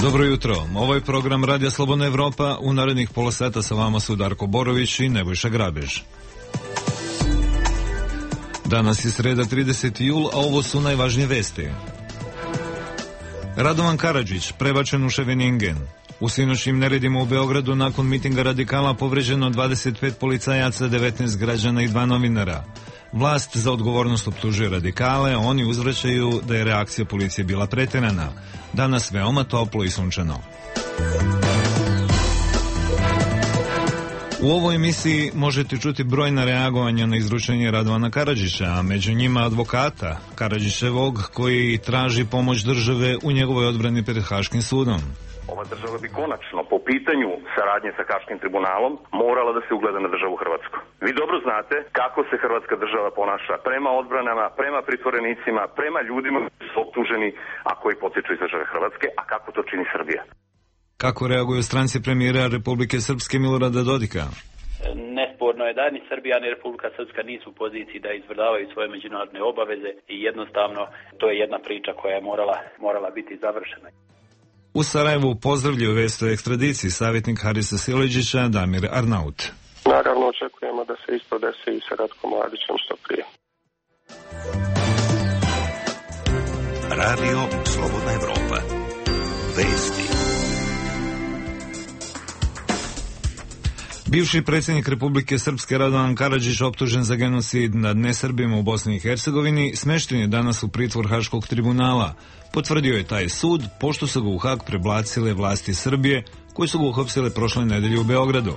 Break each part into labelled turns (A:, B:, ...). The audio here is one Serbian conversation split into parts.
A: Dobro jutro. Ovo je program Radija Slobodna Evropa. U narednih pola sata sa vama su Darko Borović i Nebojša Grabež. Danas je sreda 30. jul, a ovo su najvažnije vesti. Radovan Karadžić prebačen u Ševeningen. U sinoćnim neredima u Beogradu nakon mitinga radikala povređeno 25 policajaca, 19 građana i 2 novinara. Vlast za odgovornost optužuje radikale, oni uzvraćaju da je reakcija policije bila preterana. Danas veoma toplo i sunčano. U ovoj emisiji možete čuti brojna reagovanja na izručenje Radovana Karadžića, a među njima advokata Karadžićevog koji traži pomoć države u njegovoj odbrani pred Haškim sudom.
B: Ova država bi konačno po pitanju saradnje sa Haškim tribunalom morala da se ugleda na državu Hrvatsku. Vi dobro znate kako se Hrvatska država ponaša prema odbranama, prema pritvorenicima, prema ljudima koji su optuženi, a koji potiču iz države Hrvatske, a kako to čini Srbija.
A: Kako reaguju stranci premijera Republike Srpske Milorada Dodika?
C: Nesporno je da ni Srbija ni Republika Srpska nisu u poziciji da izvršavaju svoje međunarodne obaveze i jednostavno to je jedna priča koja je morala biti završena.
A: U Sarajevu pozdravljaju vest o ekstradiciji savjetnik Harisa Sileđića Damir Arnaut.
D: Naravno očekujemo da se isto desi i sa Ratkom Mladićem što prije.
E: Radio Slobodna Evropa. Vesti.
A: Bivši predsjednik Republike Srpske Radovan Karadžić optužen za genocid nad nesrbima u Bosni i Hercegovini smešten je danas u pritvor Haškog tribunala. Potvrdio je taj sud pošto su ga u Hag prebacile vlasti Srbije koji su ga uhapsile prošle nedelje u Beogradu.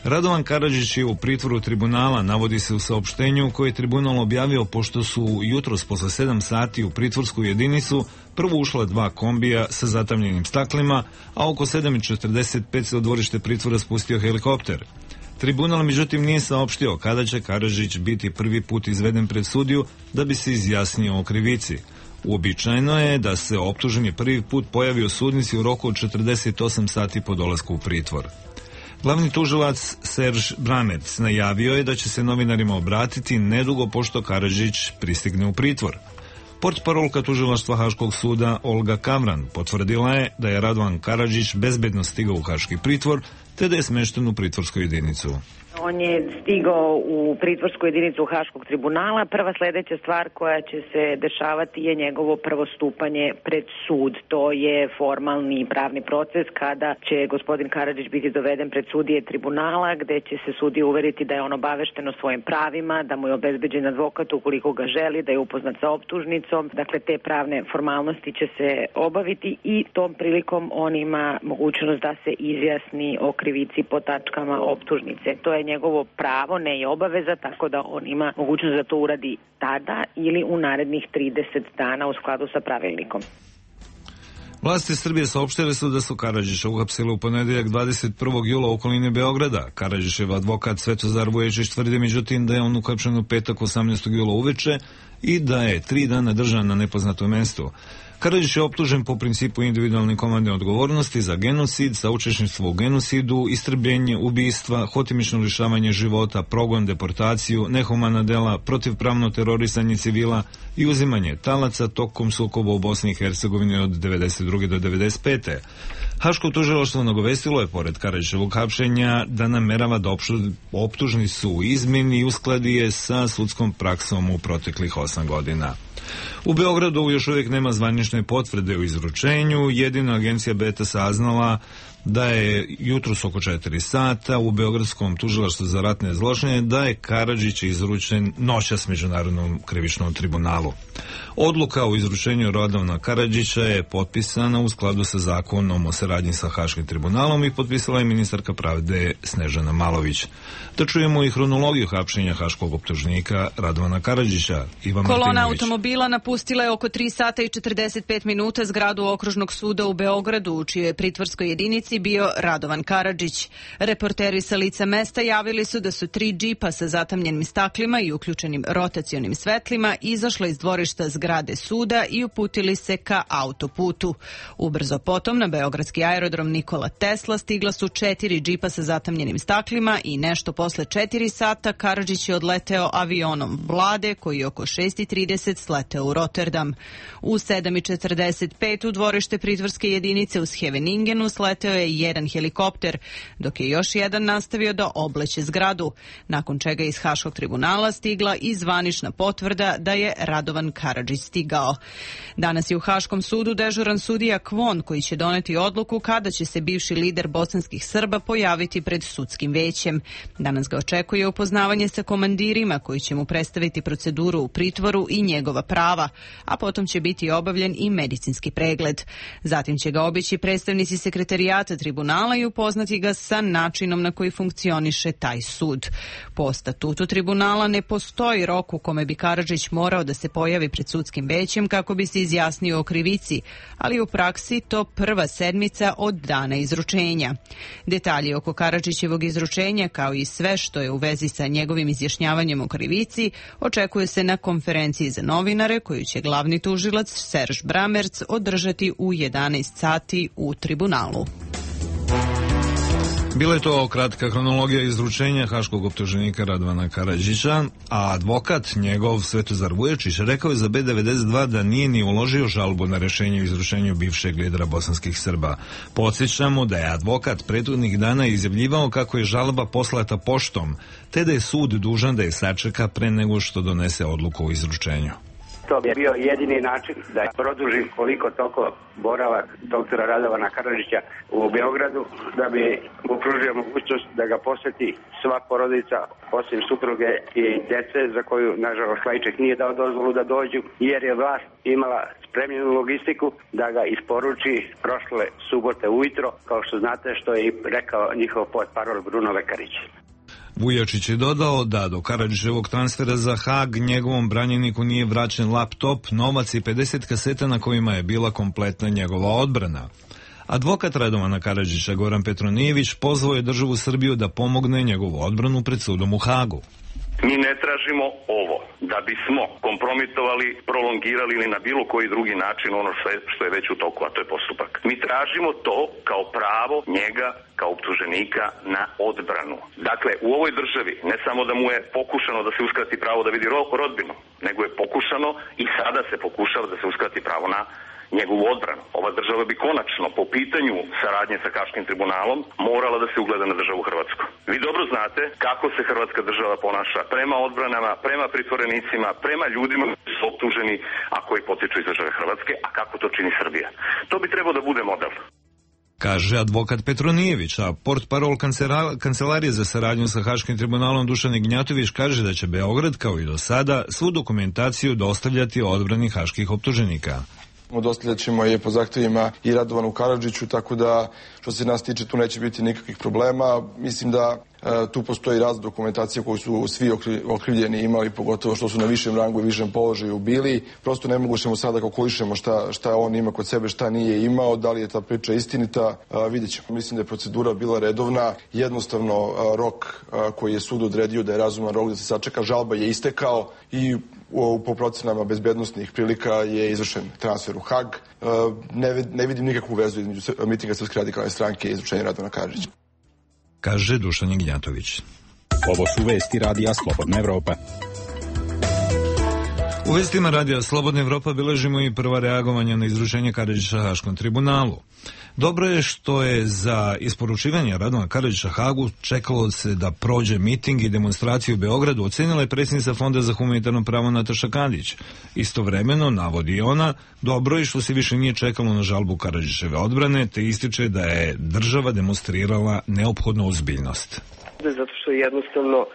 A: Radovan Karadžić je u pritvoru tribunala, navodi se u saopštenju koje je tribunal objavio pošto su jutros posle 7 sati u pritvorsku jedinicu prvo ušla 2 kombija sa zatamljenim staklima, a oko 7:45 se u dvorište pritvora spustio helikopter. Tribunal međutim nije saopštio kada će Karadžić biti prvi put izveden pred sudiju da bi se izjasnio o krivici. Uobičajeno je da se optuženi prvi put pojavi u sudnici u roku od 48 sati po dolasku u pritvor. Glavni tužilac Serž Bramec najavio je da će se novinarima obratiti nedugo pošto Karadžić pristigne u pritvor. Portparolka tužilaštva Haškog suda Olga Kavran potvrdila je da je Radovan Karadžić bezbedno stigao u Haški pritvor te da je smešten u pritvorsku jedinicu.
F: On je stigao u pritvorsku jedinicu Haškog tribunala. Prva sledeća stvar koja će se dešavati je njegovo prvo stupanje pred sud. To je formalni pravni proces kada će gospodin Karadžić biti doveden pred sudije tribunala, gde će se sudije uveriti da je on obavešten o svojim pravima, da mu je obezbeđen advokat ukoliko ga želi, da je upoznat sa optužnicom. Dakle, te pravne formalnosti će se obaviti i tom prilikom on ima mogućnost da se izjasni o krivici po tačkama optužnice. To je njegovo pravo, ne je obaveza, tako da on ima mogućnost da to uradi tada ili u narednih 30 dana u skladu sa pravilnikom.
A: Vlasti Srbije saopštile su da su Karadžića uhapsili u ponedeljak 21. jula u okolini Beograda. Karadžićev advokat Svetozar Vuječić tvrdi međutim da je on uhapšen u petak 18. jula uveče i da je 3 dana držan na nepoznatom mestu. Karadžić je optužen po principu individualne komandne odgovornosti za genocid, saučesništvo u genocidu, istrebljenje, ubistva, hotimično lišavanje života, progon, deportaciju, nehumana dela, protivpravno terorisanje civila i uzimanje talaca tokom sukoba u Bosni i Hercegovini od 92. do 95. Haško tužilaštvo nagovestilo je pored Karadžićevog hapšenja da namerava da optužnicu izmeni i uskladi je sa sudskom praksom u proteklih 8 godina. U Beogradu još uvijek nema zvanične potvrde o izručenju, jedina agencija Beta saznala da je jutros oko 4 sata u Beogradskom tužilaštvu za ratne zločine da je Karadžić izručen noćas Međunarodnom krivičnom tribunalu. Odluka o izručenju Radovana Karadžića je potpisana u skladu sa zakonom o saradnji sa Haškim tribunalom i potpisala je ministarka pravde Snežana Malović. Da čujemo i hronologiju hapšenja haškog optužnika Radovana Karadžića.
G: Kolona automobila napustila je oko 3 sata i 45 minuta zgradu Okružnog suda u Beogradu, u čijoj pritvorskoj jedinici jedinici bio Radovan Karadžić. Reporteri sa lica mesta javili su da su 3 džipa sa zatamljenim staklima i uključenim rotacionim svetlima izašla iz dvorišta zgrade suda i uputili se ka autoputu. Ubrzo potom na beogradski aerodrom Nikola Tesla stigla su 4 džipa sa zatamljenim staklima i nešto posle 4 sata Karadžić je odleteo avionom vlade koji je oko 6:30 sleteo u Rotterdam. U 7:45 u dvorište pritvorske jedinice u Scheveningenu sleteo je jedan helikopter, dok je još jedan nastavio da obleće zgradu, nakon čega iz Haškog tribunala stigla i zvanična potvrda da je Radovan Karadžić stigao. Danas je u Haškom sudu dežuran sudija Kvon koji će doneti odluku kada će se bivši lider bosanskih Srba pojaviti pred sudskim većem. Danas ga očekuje upoznavanje sa komandirima koji će mu predstaviti proceduru u pritvoru i njegova prava, a potom će biti obavljen i medicinski pregled. Zatim će ga obići predstavnici sekretarijata tribunala i upoznati ga sa načinom na koji funkcioniše taj sud. Po statutu tribunala ne postoji rok u kome bi Karadžić morao da se pojavi pred sudskim većem kako bi se izjasnio o krivici, ali u praksi to prva sedmica od dana izručenja. Detalji oko Karadžićevog izručenja, kao i sve što je u vezi sa njegovim izjašnjavanjem o krivici, očekuje se na konferenciji za novinare koju će glavni tužilac Serž Bramerc održati u 11 sati u tribunalu.
A: Bila je to kratka hronologija izručenja haškog optuženika Radovana Karadžića, a advokat njegov Svetozar Vujačić rekao je za B92 da nije ni uložio žalbu na rešenje o izručenju bivšeg lidera bosanskih Srba. Podsjećamo da je advokat prethodnih dana izjavljivao kako je žalba poslata poštom, te da je sud dužan da je sačeka pre nego što donese odluku o izručenju.
H: To bi bio jedini način da produži koliko toliko boravak doktora Radovana Karadžića u Beogradu, da bi mu pružio mogućnost da ga poseti sva porodica, osim supruge i dece, za koju, nažalost, Lajček nije dao dozvolu da dođu, jer je vlast imala spremljenu logistiku da ga isporuči prošle subote ujutro, kao što znate, što je i rekao njihov portparol Bruno Lekarić.
A: Vujačić je dodao da do Karadžićevog transfera za Hag njegovom branjeniku nije vraćen laptop, novac i 50 kaseta na kojima je bila kompletna njegova odbrana. Advokat Radovana Karadžića Goran Petronijević pozvao je državu Srbiju da pomogne njegovu odbranu pred sudom u Hagu.
B: Mi ne tražimo ovo da bismo kompromitovali, prolongirali ili na bilo koji drugi način ono što je već u toku, a to je postupak. Mi tražimo to kao pravo njega, kao optuženika na odbranu. Dakle, u ovoj državi ne samo da mu je pokušano da se uskrati pravo da vidi rodbinu, nego je pokušano i sada se pokušava da se uskrati pravo na njegovu odbranu. Ova država bi konačno po pitanju saradnje sa Haškim tribunalom morala da se ugleda na državu Hrvatsku. Vi dobro znate kako se Hrvatska država ponaša prema odbranama, prema pritvorenicima, prema ljudima koji su optuženi, a koji potiču iz države Hrvatske, a kako to čini Srbija. To bi trebao da bude model.
A: Kaže advokat Petronijević, a portparol Kancelarije za saradnju sa Haškim tribunalom Dušan Ignjatović kaže da će Beograd, kao i do sada, svu dokumentaciju dostavljati odbrani haških optuženika.
I: Dostavljat ćemo je po zahtevima i Radovanu Karadžiću, tako da što se nas tiče tu neće biti nikakvih problema. Mislim da tu postoji razna dokumentacija koju su svi okrivljeni imali, pogotovo što su na višem rangu i višem položaju bili. Prosto ne mogućemo sada kalkulišemo šta on ima kod sebe, šta nije imao, da li je ta priča istinita, vidjet ćemo. Mislim da je procedura bila redovna, jednostavno rok koji je sud odredio da je razuman rok da se sačeka, žalba je istekao i po procenama bezbednostnih prilika je izvršen transfer u Hag. Ne vidim nikakvu vezu između mitinga Srpske radikalne stranke i izručenja Radovana Karadžića.
A: Kaže Dušan Ignjatović.
J: Ovo su vesti Radija Slobodna Evropa.
A: U vestima Radija Slobodna Evropa bilježimo i prva reagovanja na izručenje Karadžića Haškom tribunalu. Dobro je što je za isporučivanje Radovana Karadžića Hagu čekalo se da prođe miting i demonstraciju u Beogradu, ocenila je predsjednica Fonda za humanitarno pravo Nataša Kandić. Istovremeno, navodi ona, dobro je što se više nije čekalo na žalbu Karadžićeve odbrane, te ističe da je država demonstrirala neophodnu ozbiljnost.
D: Zato što jednostavno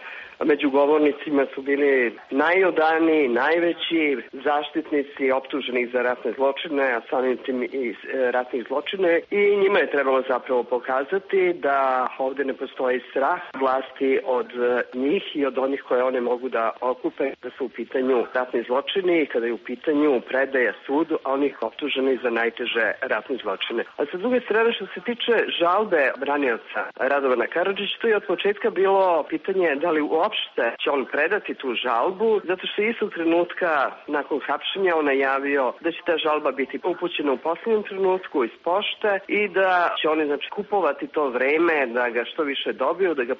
K: među govornicima su bili najodaniji, najveći zaštitnici optuženih za ratne zločine, a samim tim i ratnih zločine, i njima je trebalo zapravo pokazati da ovdje ne postoji strah vlasti od njih i od onih koje one mogu da okupe, da su u pitanju ratni zločini i kada je u pitanju predaja sudu onih optuženih za najteže ratne zločine. A sa druge strane, što se tiče žalbe branioca Radovana Karadžića, to je od početka bilo pitanje da li uopšte će on predati tu žalbu, zato što je istog trenutka nakon hapšenja on najavio da će ta žalba biti upućena u posljednjem trenutku iz pošte i da će oni kupovati to vreme da ga što više dobiju, da ga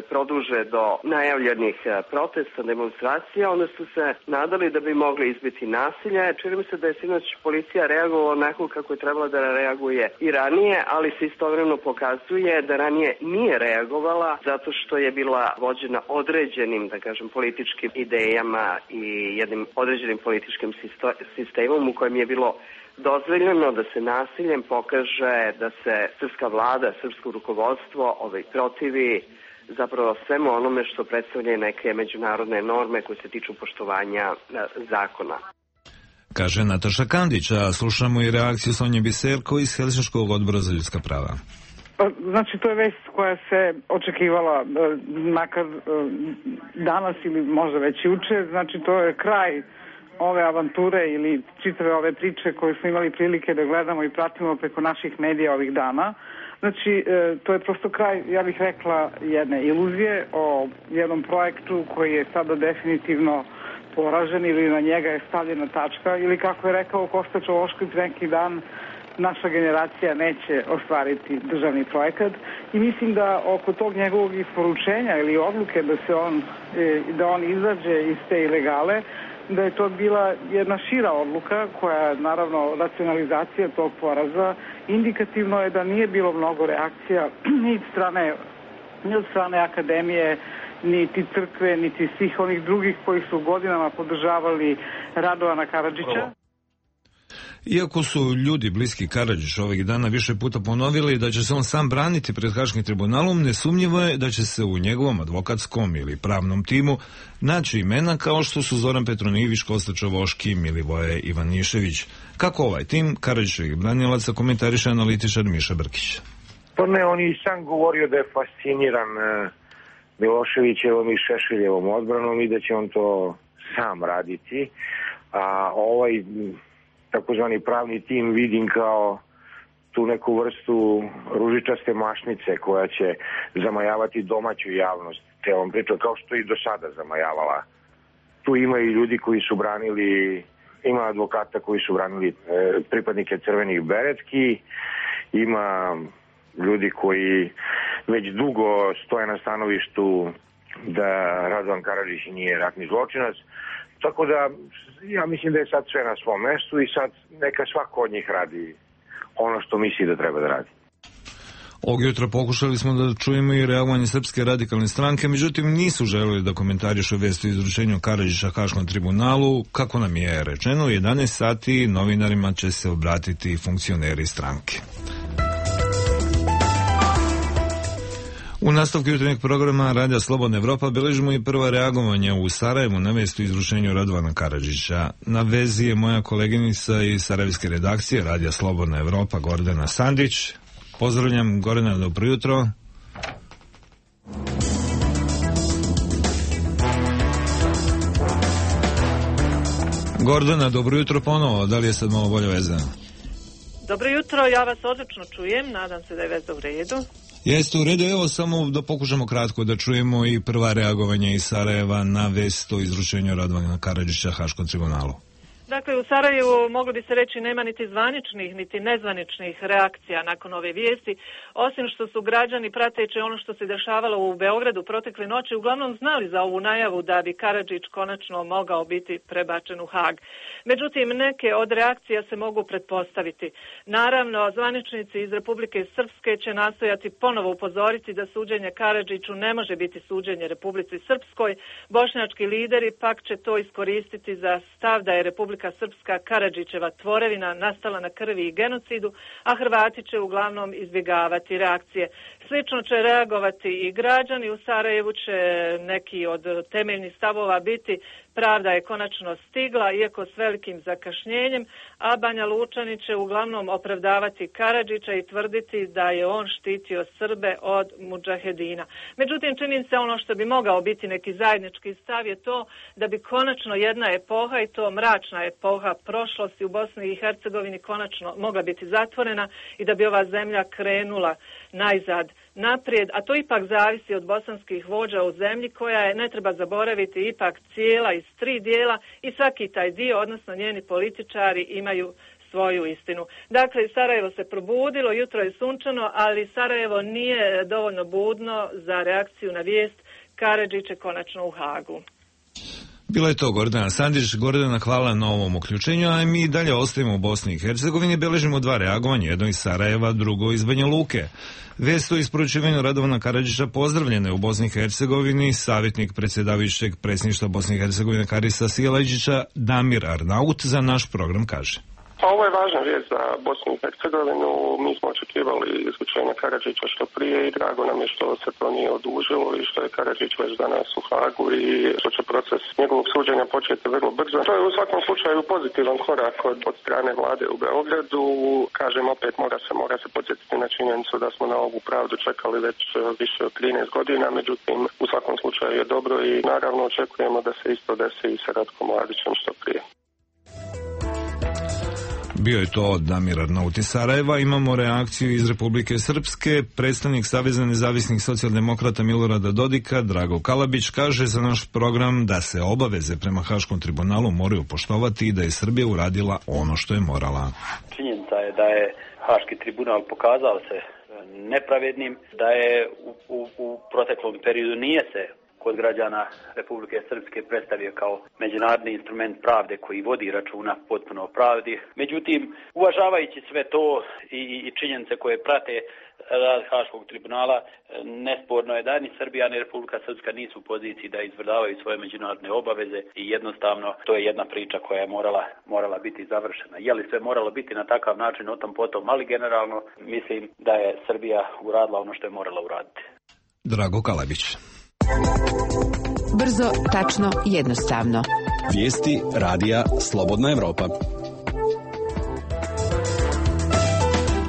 K: produže do najavljenih protesta, demonstracija. Onda su se nadali da bi mogli izbiti nasilje. Čini mi se da je sinoć policija reagovala onako kako je trebala da reaguje i ranije, ali se istovremeno pokazuje da ranije nije reagovala zato što je bila vođena određenim, da kažem, političkim idejama i jednim određenim političkim sistemom u kojem je bilo dozvoljeno da se nasiljem pokaže da se srpska vlada, srpsko rukovodstvo protivi zapravo svemu onome što predstavlja neke međunarodne norme koje se tiču poštovanja zakona.
A: Kaže Nataša Kandić, a slušamo i reakciju Sonje Biserko iz Helsinškog odbora za ljudska prava.
L: Znači, to je vest koja se očekivala makar danas ili možda već juče. Znači, to je kraj ove avanture ili čitave ove priče koje smo imali prilike da gledamo i pratimo preko naših medija ovih dana. Znači, to je prosto kraj, ja bih rekla, jedne iluzije o jednom projektu koji je sada definitivno poražen ili na njega je stavljena tačka ili kako je rekao Kosta Čovošković neki dan, naša generacija neće ostvariti državni projekat i mislim da oko tog njegovog isporučenja ili odluke da on izađe iz te ilegale, da je to bila jedna šira odluka koja, naravno, racionalizacija tog poraza. Indikativno je da nije bilo mnogo reakcija ni od strane akademije, niti crkve, niti svih onih drugih koji su godinama podržavali Radovana Karadžića.
A: Iako su ljudi bliski Karadžiću ovih dana više puta ponovili da će se on sam braniti pred Haškim tribunalom, nesumnjivo je da će se u njegovom advokatskom ili pravnom timu naći imena kao što su Zoran Petronijević, Kosta Čovoški, Milivoje Ivanišević. Kako ovaj tim Karadžićevih branilaca komentariše analitičar Miša Brkić.
M: Pa ne, on i sam govorio da je fasciniran Miloševićevom i Šešeljevom odbranom i da će on to sam raditi. A ovaj takozvani pravni tim vidim kao tu neku vrstu ružičaste mašnice koja će zamajavati domaću javnost celom pričom, kao što i do sada zamajavala. Tu ima i ljudi koji su branili, ima advokata koji su branili pripadnike crvenih beretki, ima ljudi koji već dugo stoje na stanovištu da Radovan Karadžić nije ratni zločinac. Tako da, ja mislim da je sad sve na svom mestu i sad neka svako od njih radi ono što misli da treba da radi.
A: Ovog jutra pokušali smo da čujemo i reagovanje Srpske radikalne stranke, međutim nisu želeli da komentarišu vest o izručenju Karadžića Haškom tribunalu. Kako nam je rečeno, u 11 sati novinarima će se obratiti funkcioneri stranke. U nastavku jutarnjeg programa Radija Slobodna Evropa beležimo i prva reagovanja u Sarajevu na vest o izručenju Radovana Karadžića. Na vezi je moja koleginica iz sarajevske redakcije Radija Slobodna Evropa Gordana Sandić. Pozdravljam, Gordana, dobro jutro. Gordana, dobro jutro ponovo. Da li je sad malo bolja veza?
N: Dobro jutro, ja vas odlično čujem. Nadam se da je veza u redu.
A: Jeste u redu, evo samo da pokušamo kratko da čujemo i prva reagovanja iz Sarajeva na vest o izručenju Radovana Karadžića Haškom tribunalu.
N: Dakle, u Sarajevu moglo bi se reći nema niti zvaničnih, niti nezvaničnih reakcija nakon ove vijesti, osim što su građani prateći ono što se dešavalo u Beogradu protekle noći uglavnom znali za ovu najavu da bi Karadžić konačno mogao biti prebačen u Hag. Međutim, neke od reakcija se mogu pretpostaviti. Naravno, zvaničnici iz Republike Srpske će nastojati ponovo upozoriti da suđenje Karadžiću ne može biti suđenje Republici Srpskoj. Bošnjački lideri pak će to iskoristiti za stav da je Republika Srpska Karadžićeva tvorevina nastala na krvi i genocidu, a Hrvati će uglavnom izbjegavati reakcije. Slično će reagovati i građani. U Sarajevu će neki od temeljnih stavova biti pravda je konačno stigla, iako s velikim zakašnjenjem, a Banja Lučani će uglavnom opravdavati Karadžića i tvrditi da je on štitio Srbe od mudžahedina. Međutim, čini se ono što bi mogao biti neki zajednički stav je to da bi konačno jedna epoha, i to mračna epoha prošlosti u Bosni i Hercegovini, konačno mogla biti zatvorena i da bi ova zemlja krenula najzad naprijed, a to ipak zavisi od bosanskih vođa u zemlji koja je, ne treba zaboraviti, ipak cijela iz 3 dijela i svaki taj dio, odnosno njeni političari, imaju svoju istinu. Dakle, Sarajevo se probudilo, jutro je sunčano, ali Sarajevo nije dovoljno budno za reakciju na vijest Karadžić je konačno u Hagu.
A: Bila je to Gordana Sandić. Gordana, hvala na ovom uključenju, a mi dalje ostajemo u Bosni i Hercegovini. Beležimo 2 reagovanja, jedno iz Sarajeva, drugo iz Banja Luke. Vijest o isporučivanju Radovana Karadžića pozdravljena je u Bosni i Hercegovini. Savjetnik predsjedavajućeg predsjedništva Bosne i Hercegovine Karisa Sjelađića, Damir Arnaut, za naš program kaže.
D: Ovo je važna vijest za Bosnu i Hercegovinu. Mi smo očekivali izručenje Karadžića što prije i drago nam je što se to nije odužilo i što je Karadžić već danas u Hagu i što će proces njegovog suđenja početi vrlo brzo. To je u svakom slučaju pozitivan korak od strane vlade u Beogradu. Kažem, opet mora se podsjetiti na činjenicu da smo na ovu pravdu čekali već više od 13 godina, međutim u svakom slučaju je dobro i naravno očekujemo da se isto desi i sa Ratkom Mladićem što prije.
A: Bio je to Damir Arnaut iz Sarajeva. Imamo reakciju iz Republike Srpske. Predstavnik Saveza nezavisnih socijaldemokrata Milorada Dodika, Drago Kalabić, kaže za naš program da se obaveze prema Haškom tribunalu moraju poštovati i da je Srbija uradila ono što je morala.
C: Činjenica je da je Haški tribunal pokazao se nepravednim, da je u proteklom periodu nije se kod građana Republike Srpske predstavio kao međunarodni instrument pravde koji vodi računa potpuno o pravdi. Međutim, uvažavajući sve to i činjenice koje prate rad Haškog tribunala, nesporno je da ni Srbija ni Republika Srpska nisu u poziciji da izvršavaju svoje međunarodne obaveze i jednostavno to je jedna priča koja je morala biti završena. Je li sve moralo biti na takav način, o tom potom, ali generalno mislim da je Srbija uradila ono što je morala uraditi.
A: Drago Kalabić.
O: Brzo, tačno, jednostavno.
J: Vijesti radija Slobodna Evropa.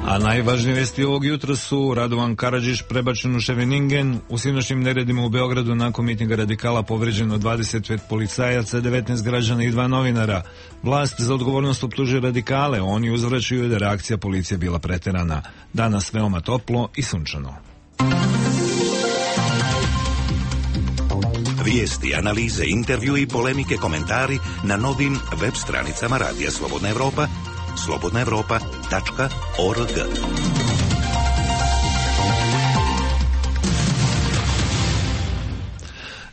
A: A najvažnije vijesti ovog jutra su: Radovan Karadžić prebačen u Ševeningen, u sinoćnim neredima u Beogradu nakon mitinga radikala povređeno 25 policajaca, 19 građana i 2 novinara. Vlast za odgovornost optužuje radikale, oni uzvraćaju da je reakcija policije bila preterana. Danas veoma toplo i sunčano.
E: Vijesti, analize, intervju i polemike, komentari na novim web stranicama Radija Slobodna Evropa, slobodnaevropa.org.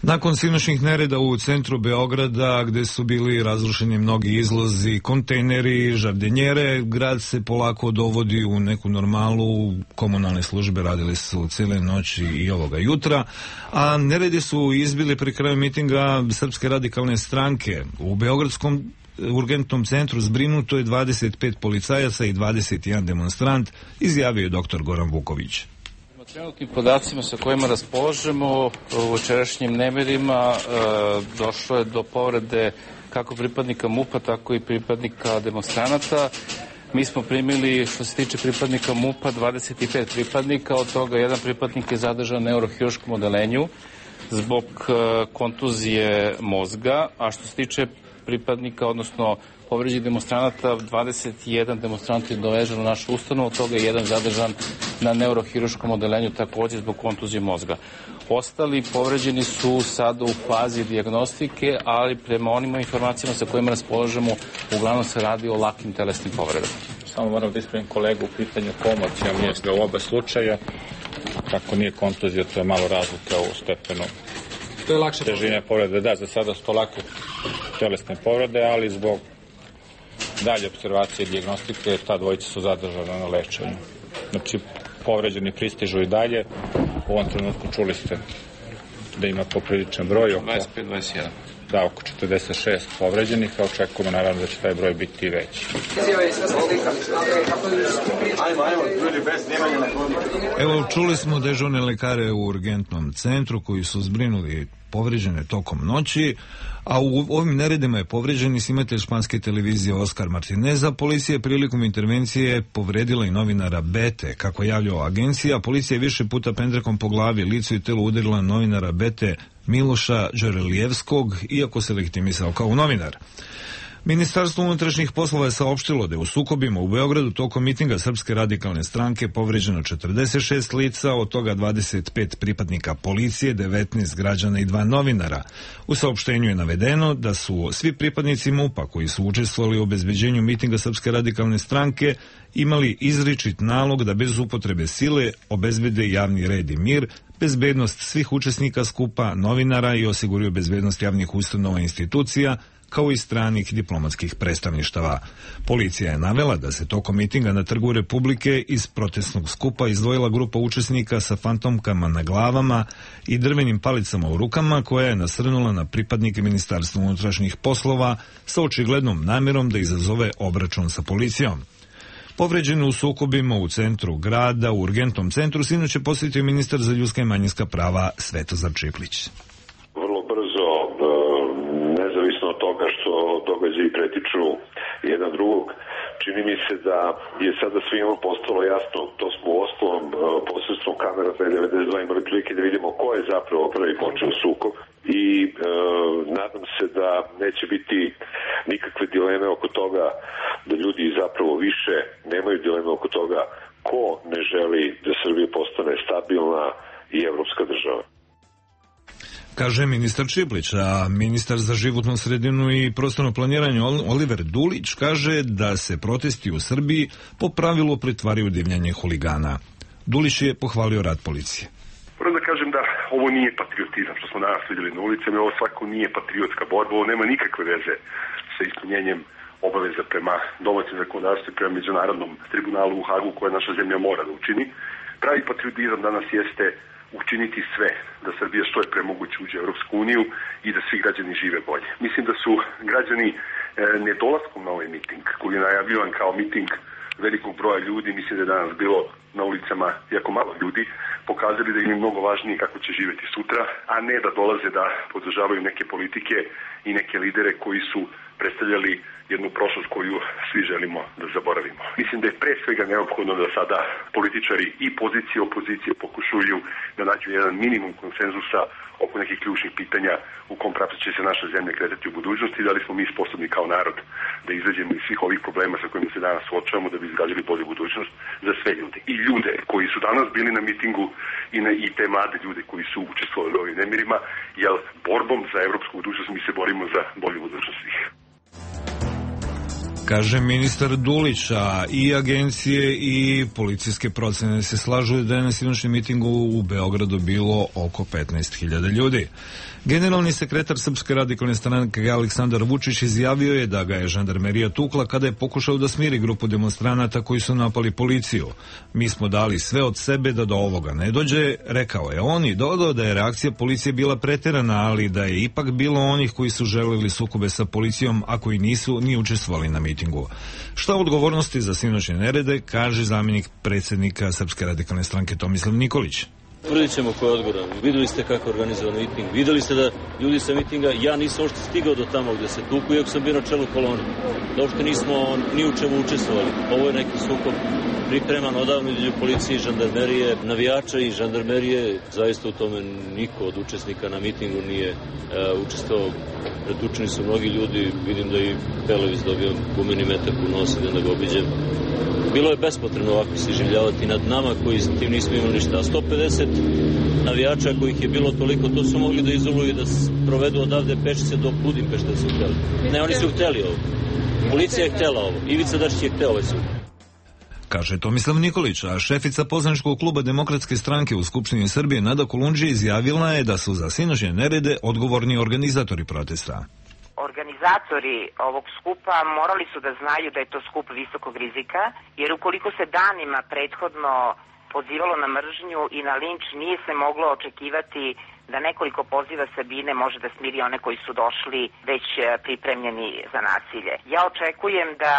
A: Nakon sinoćnih nereda u centru Beograda, gde su bili razrušeni mnogi izlozi, kontejneri, žardenjere, grad se polako dovodi u neku normalu. Komunalne službe radile su cijele noći i ovoga jutra, a neredi su izbili pri kraju mitinga Srpske radikalne stranke. U Beogradskom urgentnom centru zbrinuto je 25 policajaca i 21 demonstrant, izjavio je dr. Goran Vuković.
P: Trenutnim podacima sa kojima raspolažemo u večerašnjim nemirima došlo je do povrede kako pripadnika MUP-a, tako i pripadnika demonstranata. Mi smo primili, što se tiče pripadnika MUP-a, 25 pripadnika, od toga jedan pripadnik je zadržan na neurohiruškom odelenju zbog kontuzije mozga, a što se tiče pripadnika, odnosno povređenih demonstranata, 21 demonstrant je dovežen u našu ustanovu, od toga je jedan zadržan na neurohiruškom odelenju također zbog kontuzije mozga. Ostali povređeni su sada u fazi dijagnostike, ali prema onim informacijama sa kojima raspolažemo, uglavnom se radi o lakim telesnim povredama.
Q: Samo moram da ispravim kolegu u pitanju komocija mozga u oba slučaja. Kako nije kontuzija, to je malo razlika u stepenu težine povrede. Da, za sada su to lake telesne povrede, ali zbog dalje observacije i dijagnostike ta dvojica su zadržana na lečenju. Znači, povređeni pristižu i dalje. U ovom trenutku čuli ste da ima popriličan broj.
P: 25-21.
Q: da oko 46 povređenih, a očekujemo naravno da će taj broj biti veći.
A: Evo, čuli smo dežurne lekare u urgentnom centru koji su zbrinuli povređene tokom noći, a u ovim neredima je povređen i snimatelj španske televizije Oskar Martineza. Policija je prilikom intervencije povredila i novinara Bete. Kako javljala agencija, policija je više puta pendrekom po glavi, licu i telu udarila novinara Bete Miloša Đorelijevskog, iako se legitimisao kao novinar. Ministarstvo unutrašnjih poslova je saopštilo da je u sukobima u Beogradu tokom mitinga Srpske radikalne stranke povređeno 46 lica, od toga 25 pripadnika policije, 19 građana i 2 novinara. U saopštenju je navedeno da su svi pripadnici MUP-a koji su učestvovali u obezbeđenju mitinga Srpske radikalne stranke imali izričit nalog da bez upotrebe sile obezbede javni red i mir, bezbednost svih učesnika skupa, novinara i osiguraju bezbednost javnih ustanova i institucija, kao i stranih diplomatskih predstavništava. Policija je navela da se tokom mitinga na Trgu Republike iz protestnog skupa izdvojila grupa učesnika sa fantomkama na glavama i drvenim palicama u rukama, koja je nasrnula na pripadnike Ministarstva unutrašnjih poslova sa očiglednom namjerom da izazove obračun sa policijom. Povređeni u sukobima u centru grada, u urgentnom centru, sinoć je posjetio ministar za ljudska i manjinska prava Svetozar Čiplić.
R: Događaji pretiču jedan drugog. Čini mi se da je sada svima postalo jasno, to smo u ostalom posredstvom kamera 292 imali prilike da vidimo ko je zapravo prvi počeo sukob i nadam se da neće biti nikakve dileme oko toga, da ljudi zapravo više nemaju dileme oko toga ko ne želi da Srbija postane stabilna i evropska država.
A: Kaže ministar Čiplić, a ministar za životnu sredinu i prostorno planiranje Oliver Dulić kaže da se protesti u Srbiji po pravilu pretvaraju u divljanje huligana. Dulić je pohvalio rad policije.
S: Moram da kažem da ovo nije patriotizam što smo danas vidjeli na ulicama, ovo svako nije patriotska borba, ovo nema nikakve veze sa ispunjenjem obaveza prema domaćem zakonodavstvu i prema međunarodnom tribunalu u Hagu koje naša zemlja mora da učini. Pravi patriotizam danas jeste učiniti sve da Srbija što je pre moguće uđe u Europsku uniju i da svi građani žive bolje. Mislim da su građani nedolaskom na ovaj miting, koji je najavljivan kao miting velikog broja ljudi, mislim da je danas bilo na ulicama jako malo ljudi, pokazali da im je mnogo važnije kako će živjeti sutra, a ne da dolaze da podržavaju neke politike i neke lidere koji su predstavljali jednu prošlost koju svi želimo da zaboravimo. Mislim da je pre svega neophodno da sada političari i pozicije i opozicije pokušuju da nađu jedan minimum konsenzusa oko nekih ključnih pitanja u kom pravcu će se naša zemlja kretati u budućnosti, da li smo mi sposobni kao narod da izađemo iz svih ovih problema sa kojima se danas suočavamo, da bi izgradili bolju budućnost za sve ljude. I ljude koji su danas bili na mitingu i te mlade ljude koji su učestvovali u ovim nemirima, jer borbom za evropsku budućnost mi se borimo za bolju budućnost svih.
A: Kaže ministar Dulić, a i agencije i policijske procene se slažu da je na sinoćnjem mitingu u Beogradu bilo oko 15.000 ljudi. Generalni sekretar Srpske radikalne stranke Aleksandar Vučić izjavio je da ga je žandarmerija tukla kada je pokušao da smiri grupu demonstranata koji su napali policiju. Mi smo dali sve od sebe da do ovoga ne dođe, rekao je on, i dodao da je reakcija policije bila preterana, ali da je ipak bilo onih koji su želeli sukobe sa policijom, a koji nisu ni učestvovali na mitingu. Šta odgovornosti za sinoćne nerede, kaže zamjenik predsjednika Srpske radikalne stranke Tomislav Nikolić.
T: Tvrdit ćemo ko je odgovoran. Videli ste kako je organizovan miting. Videli ste da ljudi sa mitinga, ja nisam uopšte stigao do tamo gde se tuku, iako sam bio na čelu kolone. Da uopšte nismo ni u čemu učestvovali. Ovo je neki sukob pripreman odavno između policije i žandarmerije, navijača i žandarmerije. Zaista u tome niko od učesnika na mitingu nije učestvovao. Pretučeni su mnogi ljudi. Vidim da i Pelević dobio gumeni metak u nos, idem da ga obiđem. Bilo je bespotrebno ovako se iživljavati nad nama koji s tim nismo imali ništa. A 150 navijača kojih je bilo toliko, to su mogli da izoluju i da provedu odavde pešice do Budimpešte da su hteli. Ne, oni su hteli ovo. Policija je htela ovo. Ivica Dačić je hteo ovaj sud.
A: Kaže Tomislav Nikolić, a šefica poslaničkog kluba Demokratske stranke u Skupštini Srbije Nada Kolundžija izjavila je da su za sinoćne nerede odgovorni organizatori protesta.
U: Organizatori ovog skupa morali su da znaju da je to skup visokog rizika, jer ukoliko se danima prethodno pozivalo na mržnju i na linč, nije se moglo očekivati da nekoliko poziva Sabine može da smiri one koji su došli već pripremljeni za nasilje. Ja očekujem da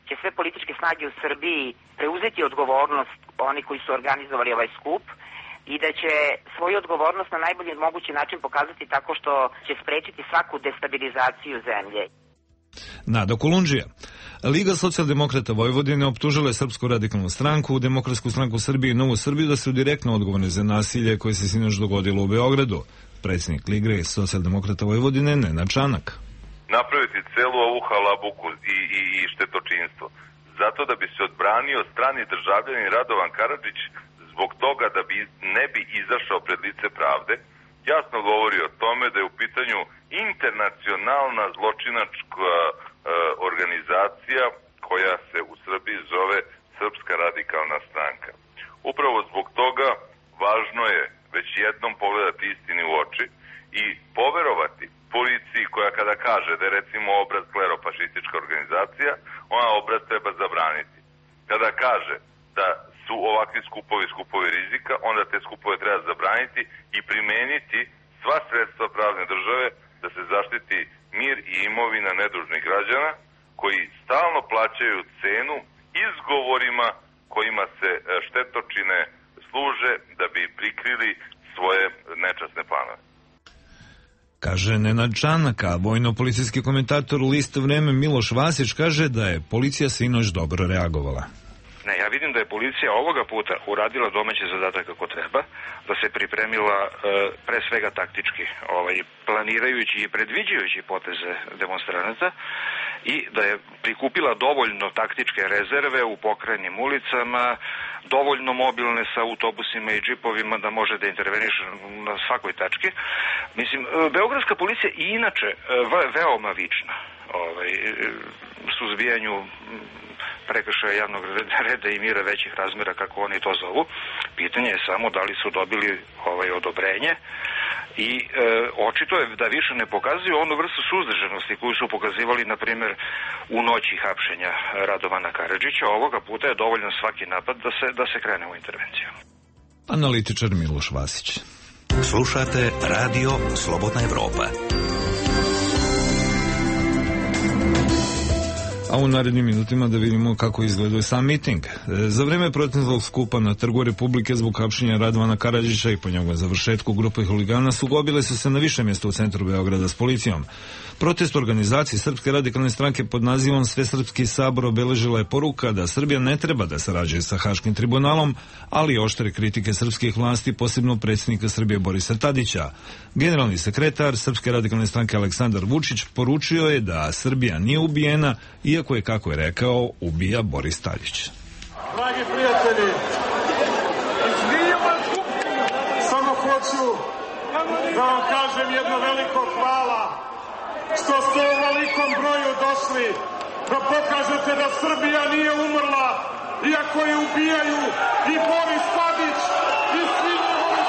U: će sve političke snage u Srbiji preuzeti odgovornost, oni koji su organizovali ovaj skup, i da će svoju odgovornost na najbolji mogući način pokazati tako što će sprečiti svaku destabilizaciju zemlje.
A: Nada Kolundžija. Liga socijaldemokrata Vojvodine optužila je Srpsku radikalnu stranku, Demokratsku stranku Srbije i Novu Srbiju da su direktno odgovorni za nasilje koje se sinoć dogodilo u Beogradu. Predsjednik Lige socijaldemokrata Vojvodine Nenad Čanak.
F: Napraviti celu ovu halabuku i štetočinstvo zato da bi se odbranio strani državljanin Radovan Karadžić zbog toga da ne bi izašao pred lice pravde, jasno govori o tome da je u pitanju internacionalna zločinačka organizacija koja se u Srbiji zove Srpska radikalna stranka. Upravo zbog toga važno je već jednom pogledati istini u oči i poverovati policiji koja kada kaže da je recimo obraz klerofašistička organizacija, ona obraz treba zabraniti. Kada kaže da su ovakvi skupovi rizika, onda te skupove treba zabraniti i primeniti sva sredstva pravne države da se zaštiti mir i imovina nedužnih građana koji stalno plaćaju cenu izgovorima kojima se štetočine služe da bi prikrili svoje nečasne planove.
A: Kaže Nenad Čanak, a vojno-policijski komentator lista Vreme Miloš Vasić kaže da je policija sinoć dobro reagovala.
V: Ne, ja vidim da je policija ovoga puta uradila domaći zadatak kako treba, da se pripremila pre svega taktički, planirajući i predviđajući poteze demonstranata i da je prikupila dovoljno taktičke rezerve u pokrajnim ulicama, dovoljno mobilne sa autobusima i džipovima da može da interveniše na svakoj tački. Mislim, beogradska policija i inače veoma vična suzbijanju prekršaja javnog reda i mira većih razmjera, kako oni to zovu. Pitanje je samo da li su dobili odobrenje i očito je da više ne pokazuju onu vrstu suzdržanosti koju su pokazivali, na primjer, u noći hapšenja Radovana Karadžića. Ovoga puta je dovoljno svaki napad da se krene u intervenciju.
A: Analitičar Miloš Vasić.
E: Slušate Radio Slobodna Evropa.
A: A u narednim minutima da vidimo kako izgledao sam miting. Za vreme protestnog skupa na Trgu Republike zbog hapšenja Radovana Karadžića i po njegovom završetku grupe huligana sukobile su se na više mjesta u centru Beograda s policijom. Protest organizacije Srpske radikalne stranke pod nazivom Svesrpski sabor obeležila je poruka da Srbija ne treba da sarađuje sa Haškim tribunalom, ali oštre kritike srpskih vlasti, posebno predsjednika Srbije Borisa Tadića. Generalni sekretar Srpske radikalne stranke Aleksandar Vučić poručio je da Srbija nije ubijena, iako je, kako je rekao, ubija Boris Tadić.
W: Dragi prijatelji, samo hoću da vam kažem jedno veliko hvala što ste u velikom broju došli da pokažete da Srbija nije umrla, iako je ubijaju i Boris Tadić i svi njegovi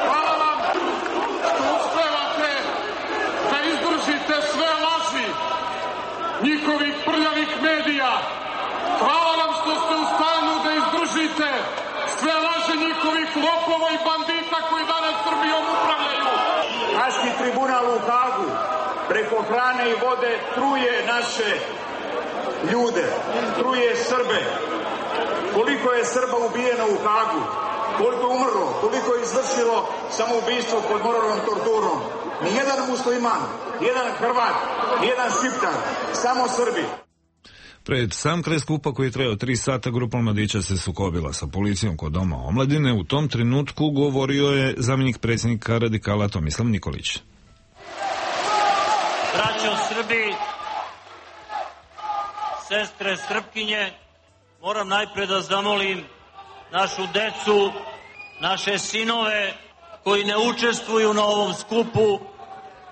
W: Hvala vam što uspevate da izdržite sve laži njihovih prljavih medija. Hvala vam što ste u stanju da izdržite sve laže njihovih lopova i bandita koji danas Srbijom upravljaju.
X: Haški tribunal u Hagu preko hrane i vode truje naše ljude, truje Srbe. Koliko je Srba ubijeno u Hagu, koliko je umrlo, koliko je izvršilo samoubistvo pod moralnom torturom. Nijedan musliman, nijedan Hrvat, nijedan Šiptar, samo Srbi.
A: Pred sam kraj skupa koji je trajao 3 sata, grupa mladića se sukobila sa policijom kod Doma omladine. U tom trenutku govorio je zamjenik predsjednika radikala Tomislav Nikolić.
Y: Braćo Srbi, sestre Srpkinje, moram najpre da zamolim našu decu, naše sinove koji ne učestvuju na ovom skupu,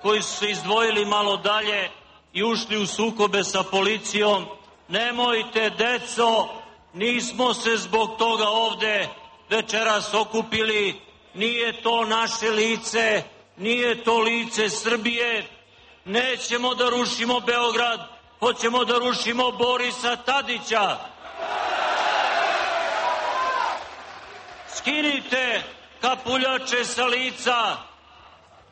Y: koji su se izdvojili malo dalje i ušli u sukobe sa policijom. Nemojte, deco, nismo se zbog toga ovde večeras okupili, nije to naše lice, nije to lice Srbije. Nećemo da rušimo Beograd, hoćemo da rušimo Borisa Tadića. Skinite kapuljače sa lica.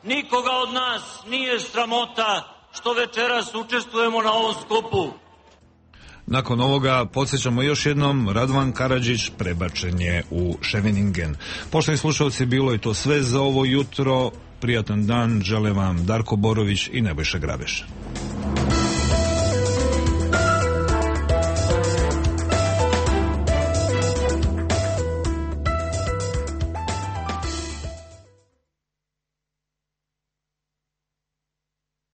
Y: Nikoga od nas nije sramota što večeras učestvujemo na ovom skupu.
A: Nakon ovoga, podsjećamo još jednom, Radovan Karadžić prebačen je u Scheveningen. Poštovani slušalci, bilo je to sve za ovo jutro. Prijatan dan, žele vam Darko Borović i Nebojša Grabeš.